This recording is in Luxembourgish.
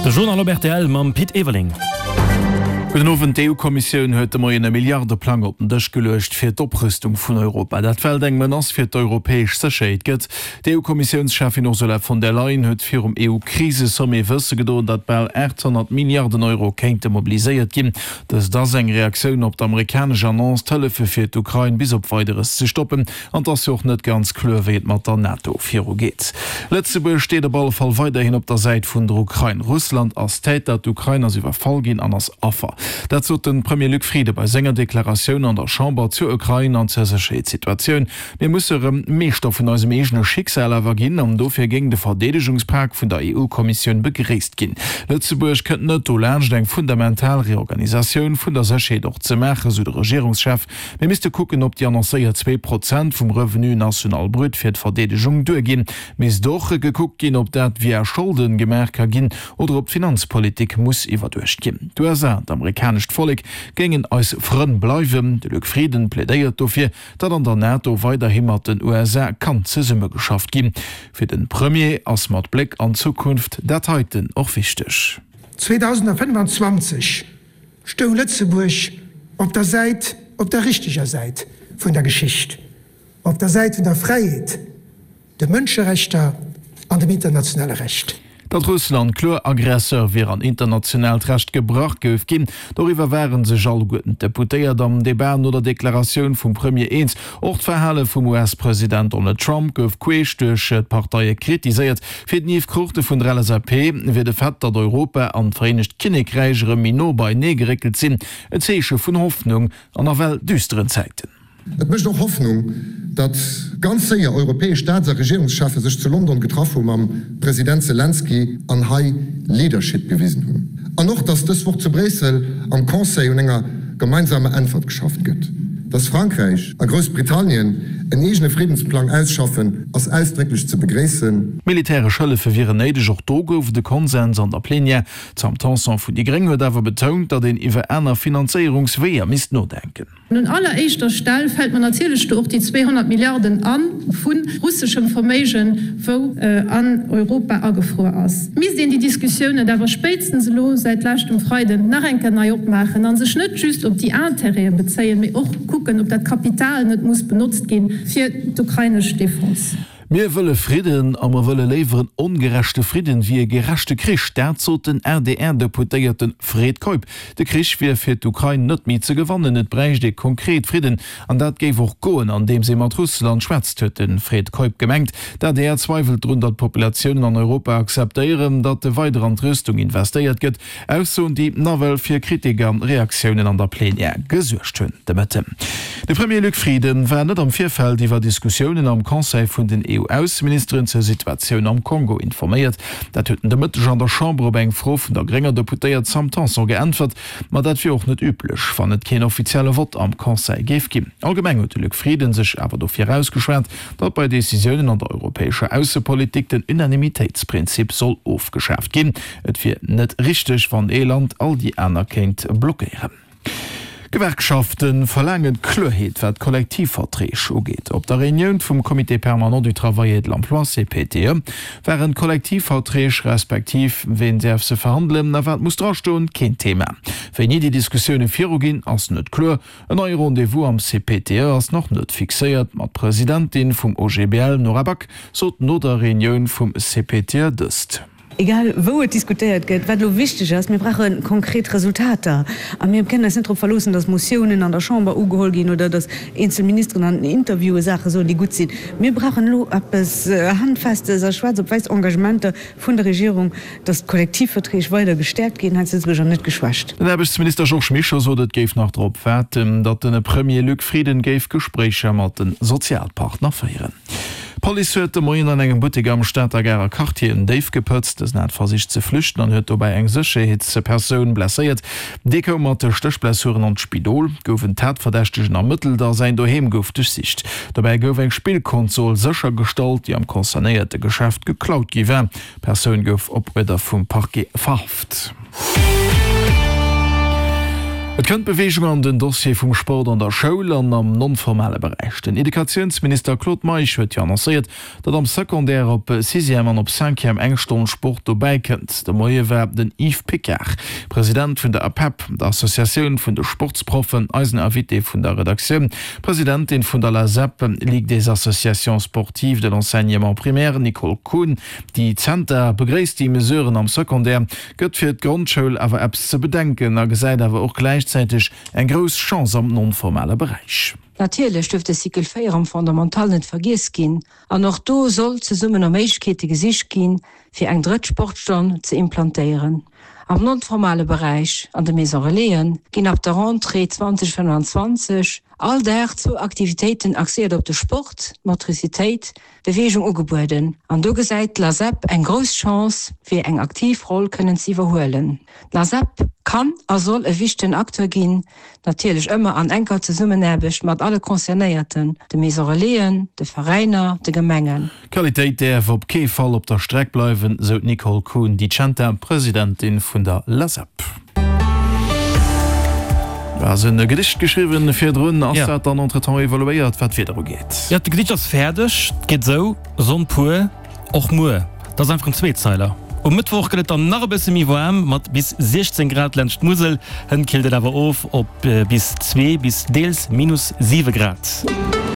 De Journal op rtl mam Pit Everling. Gudden Owend. D'EU-Kommissioun huet de Moien e Milliardeplang op den Dësch geluecht fir d'Oprüstung vun Europa. Dat well et eng Menace fir d'europäesch Sécherheet gëtt. D'EU-Kommissiounscheffin Ursula von der Leyen huet virum EU-Krisesommet wësse gedoen, datt bal 800 Milliarden Euro kéinte mobiliséiert ginn. Dëst ass eng Reaktioun op d'amerikanesch Annonce, d'Hëllefe fir d'Ukrain bis op Weideres ze stoppen. An 't ass jo och net ganz kloer, wéi et mat der NATO viru geet. Lëtzebuerg steet op alle Fall weiderhin op der Säit vun der Ukrain. Russland ass Täter, d'Ukrain ass iwwerfall ginn an ass Affer. Dat sot de Premier Luc Frieden bei senger Deklaratioun an der Chamber zur Ukrain an zur Sécherheetssituatioun. Mir musse rëm Meeschter vun eisem eegene Schicksal awer ginn an dofir géing de Verdeedegungspak vun der EU-Kommissioun begréisst ginn. Lëtzebuerg kënnt net dolaanscht eng fundamental Reorganisatioun vun der Sécherheet och ze maachen, sou de Regierungschef. Mir misste kucken, ob déi annoncéiert 2% vum Revenu national brut fir d'Verdeedegung duerginn. Misst och gekuckt ginn, ob dat via Scholden gemaach ka ginn oder ob d'Finanzpolitik muss iwwerduecht ginn. D'USA, d'amerikanescht Vollek, géingen eis Frënn bleiwen. De Luc Frieden plädéiert dofir, datt an der NATO weiderhi mat den USA kann zesummegeschafft ginn. Fir de Premier ass mat Bléck an d'Zukunft dat heiten och wichteg. 2025 stoung Lëtzebuerg op der Säit, op der richteger Säit vun der Geschicht, op der Säit vun der Fräiheet, de Mënscherechter an dem internationale Recht. Datt Russland kloer Aggresseur wier an internationaalt Recht gebrach gouf ginn, doriwwer ware sech alleguerten d'Deputéiert am Debat no der Deklaratioun vum Premier eens. Och d'Verhale vum US-President Donald Trump gouf queesch duerch d'Parteie kritiséiert. Fir den Yves Cruchten vun der LSAP wier de Fait, datt Europa an d'Vereenegt Kinnekräich erëm méi no beienee geréckelt sinn, en Zeeche vun Hoffnung an nawell düsteren Zäiten. Et mécht och Hoffnung, datt ganz séier europäesch Staats a Regierungscheffe sech zu London getraff hu mam President Selenskyj an hei Leadership gewisen hunn. An och, datt dës Woch zu Bréissel am Conseil un enger gemeinsamer Äntwert geschafft gëtt. Datt Frankräich a Groussbritannien en eegene Friddensplang ausschaffen, ass ausdrécklech ze begréissen. Militäresch Hëllefe wieren néideg, och do gouf et e Konsens an der Plenière. D'Sam Tanson vun déi Gréng huet awer betount, datt een iwwer aner Finanzéierungsweeër misst nodenken. Un alleréischter Stell fält mer natierlech do och déi 200 Milliarden a vu russeschem Verméigen, wou an Europa agefruer ass. Misst een déi Diskussioun net awer spéitstens elo säit leschtem Freiden nach eng Kéier nei opmaachen a sech net just op déi Intérêtë bezéien, mee och kucken, ob dat Kapital net muss benotzt gi fir d'ukrainesch Defense? Mir wëlle Fridden a mer wëlle léiwer en ongerechte Fridden wéi e gerechte Krich. Dat sot den ADR-Deputéierte Fred Keup. De Krich wier fir d'Ukrain net méi ze gewannen, et bräicht ee konkret Fridden. An dat géif och goen, andeems ee mat Russland schwätzt, huet de Fred Keup gemengt. D'ADR zweiwelt drun, datt d'Populatiounen an Europa akzeptéieren, datt weider an d'Rüstung investéiert gëtt. Aussoen, déi nawell fir Kritik a Reaktiounen an der Plenière gesuergt hunn de Mëtten. De Premier Luc Frieden war net am Virfeld iwwer Diskussiounen am Conseil vun den EU-Ausseministeren zur Situatioun am Kongo informéiert. Dat huet en de Mëtteg an der Chamber op eng Fro vun der grénger Deputéiert Sam Tanson geäntwert. Ma dat wier och net üblech, wann et keen offizielle Vott am Conseil géif ginn. Allgemeng huet de Luc Frieden sech awer dofir ausgeschwat, datt bei Decisiounen an der europäescher Aussepolitik den Unanimitéitsprinzip soll ofgeschaaft ginn. Et wier net richteg, wann ee Land all déi aner kéint blockéieren. D'Gewerkschafte verlaange Kloerheet, wat d'Kollektivverträg ugeet. Op der Reunioun vum Comité permanent du travail et de l'emploi, CPTE, waren d'Kollektivverträg, respektiv ween däerf se verhandelen a wat muss drastoen, keen Thema. Wéini déi Diskussioune viruginn, ass net kloer. En neie Rendez-vous am CPTE ass nach net fixéiert, ma d'Presidentin vum OGBL, Nora Back, sot no der Reunioun vum CPTE dëst. Egal wou et diskutéiert gëtt, wat elo wichteg ass, mir brauche konkret Resultater. A mir kënnen eis net drop verloossen, datt Motiounen an der Chamber ugeholl ginn oder datt eenzel Ministeren an Interviewe Saache soen, déi gutt sinn. Mir brauchen elo eppes Handfestes a schwaarz op wäiss, Engagementer vun der Regierung, datt d'Kollektivverträg weider gestäerkt ginn hei zu Lëtzebuerg an net geschwächt. Den Aarbechtsminister Georges Mischo sot, et géif nach drop waarden, datt de Premier Luc Frieden géif Gespréicher mat de Sozialpartner féieren. D'Police huet de Moien an engem Buttek am Stater Garer Quartier en Déif gepëtzt. Dësen hat versicht ze flüchten an huet dobäi eng Sécherheetspersoun blesséiert. Dee koum mat Stéchblessuren an d'Spidol. Gouf en Tatverdächtegen ermëttelt a säin Doheem gouf duerchsicht. Dobäi gouf eng Spillkonsol séchergestallt, déi am concernéierte Geschäft geklaut gi war. D'Persoun gouf op Uerder vum Parquet verhaft. Et kënnt Beweegung an den Dossier vum Sport an der Schoul an am non-formale Beräich. Den Educatiounsminister Claude Meisch huet jo annoncéiert, datt am Secondaire op Sixième an op Cinquième eng Stonn Sport dobäi kënnt. De Moie war den Yves Picard, President vun der APEP, der Associatioun vun de Sportsproffen, eisen Invité vun der Redaktioun. D'Presidentin vun der LASEP, Ligue des associations sportives de l'enseignement primaire, Nicole Kuhn, déi Zenter begréisst déi Mesuren am Secondaire, gëtt fir d'Grondschoul awer eppes ze bedenken a gesäit awer och gläichzäiteg eng grouss Chance am non-formale Beräich. Natierlech duerf de Cycle 4 am Fondamental net vergiess ginn an och do soll zesummen no Méiglechkeete gesicht ginn, fir eng drëtt Sportstonn ze implantéieren. Am non-formale Beräich, an de Maison Relaisen, ginn ab der Rentrée 2025 all Dag zwou Aktivitéiten axéiert op de Sport, d'Motricitéit, Beweegung ugebueden an do gesäit d'LASEP eng grouss Chance fir eng aktiv Roll kënnen ze iwwerhuelen. D'LASEP kann a soll e wichtegen Acteur ginn, natierlech ëmmer an enker Zesummenaarbecht mat alle Concernéierten, de Maison Relaisen, de Veräiner, de Gemengen. D'Qualitéit däerf op kee Fall op der Streck bleiwen, sou d'Nicole Kuhn Di Centa, Presidentin vun der LASEP. Du has en Gedicht geschriwwen virdrun. Ass dat dann entretemps evoluéiert, wat d'Wieder ugeet? Jo, de Gedicht ass fäerdeg. Et geet esou, Sonn pur, och muer. Dat ass einfach en Zweezeiler. Um Mëttwoch gëtt et dann nach e bësse méi waarm, mat bis 16 Grad laanscht d'Musel. Hënt killt et awer of op bis 2 bis deels minus 7 Grad.